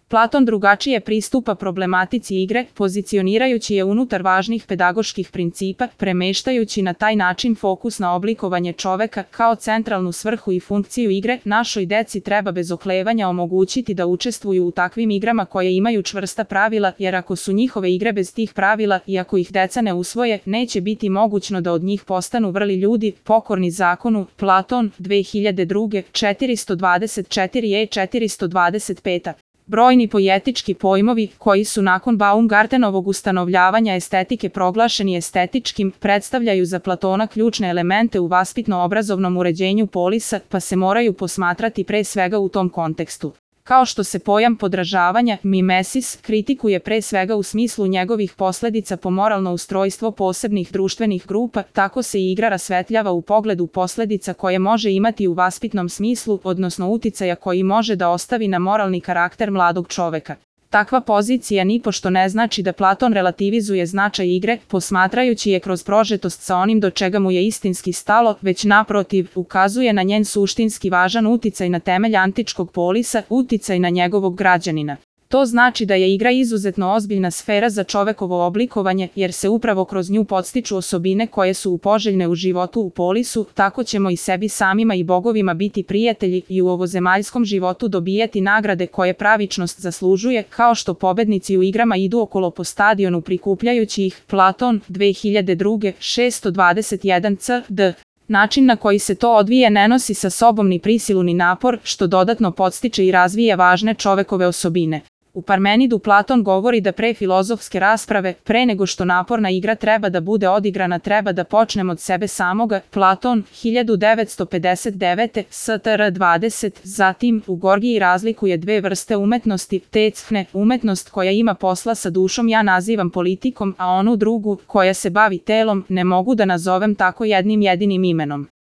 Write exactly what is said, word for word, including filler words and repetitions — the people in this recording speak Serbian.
Platon drugačije pristupa problematici igre, pozicionirajući je unutar važnih pedagoških principa, premeštajući na taj način fokus na oblikovanje čoveka kao centralnu svrhu i funkciju igre. Našoj deci treba bez oklevanja omogućiti da učestvuju u takvim igrama koje imaju čvrsta pravila, jer ako su njihove igre bez tih pravila i ako ih deca ne usvoje, neće biti mogućno da od njih postanu vrli ljudi, pokorni zakonu. Platon, dve hiljade druge. četiristo dvadeset četiri e četiristo dvadeset pet. Brojni poetički pojmovi, koji su nakon Baumgartenovog ustanovljavanja estetike proglašeni estetičkim, predstavljaju za Platona ključne elemente u vaspitno-obrazovnom uređenju polisa, pa se moraju posmatrati pre svega u tom kontekstu. Kao što se pojam podražavanja, mimesis, kritikuje pre svega u smislu njegovih posledica po moralno ustrojstvo posebnih društvenih grupa, tako se i igra rasvetljava u pogledu posledica koje može imati u vaspitnom smislu, odnosno uticaja koji može da ostavi na moralni karakter mladog čoveka. Takva pozicija nipošto ne znači da Platon relativizuje značaj igre, posmatrajući je kroz prožetost sa onim do čega mu je istinski stalo, već naprotiv, ukazuje na njen suštinski važan uticaj na temelj antičkog polisa, uticaj na njegovog građanina. To znači da je igra izuzetno ozbiljna sfera za čovekovo oblikovanje, jer se upravo kroz nju podstiču osobine koje su poželjne u životu u polisu, tako ćemo i sebi samima i bogovima biti prijatelji i u ovozemaljskom životu dobijati nagrade koje pravičnost zaslužuje, kao što pobednici u igrama idu okolo po stadionu prikupljajući ih. Platon, dve hiljade druge. šesto dvadeset jedan c d. Način na koji se to odvije ne nosi sa sobom ni prisilu ni napor, što dodatno podstiče i razvija važne čovekove osobine. U Parmenidu Platon govori da pre filozofske rasprave, pre nego što naporna igra treba da bude odigrana, treba da počnemo od sebe samoga. Platon, hiljadu devetsto pedeset devete. s t r dvadeset. Zatim, u Gorgiji razlikuje dve vrste umetnosti, tecne, umetnost koja ima posla sa dušom ja nazivam politikom, a onu drugu, koja se bavi telom, ne mogu da nazovem tako jednim jedinim imenom.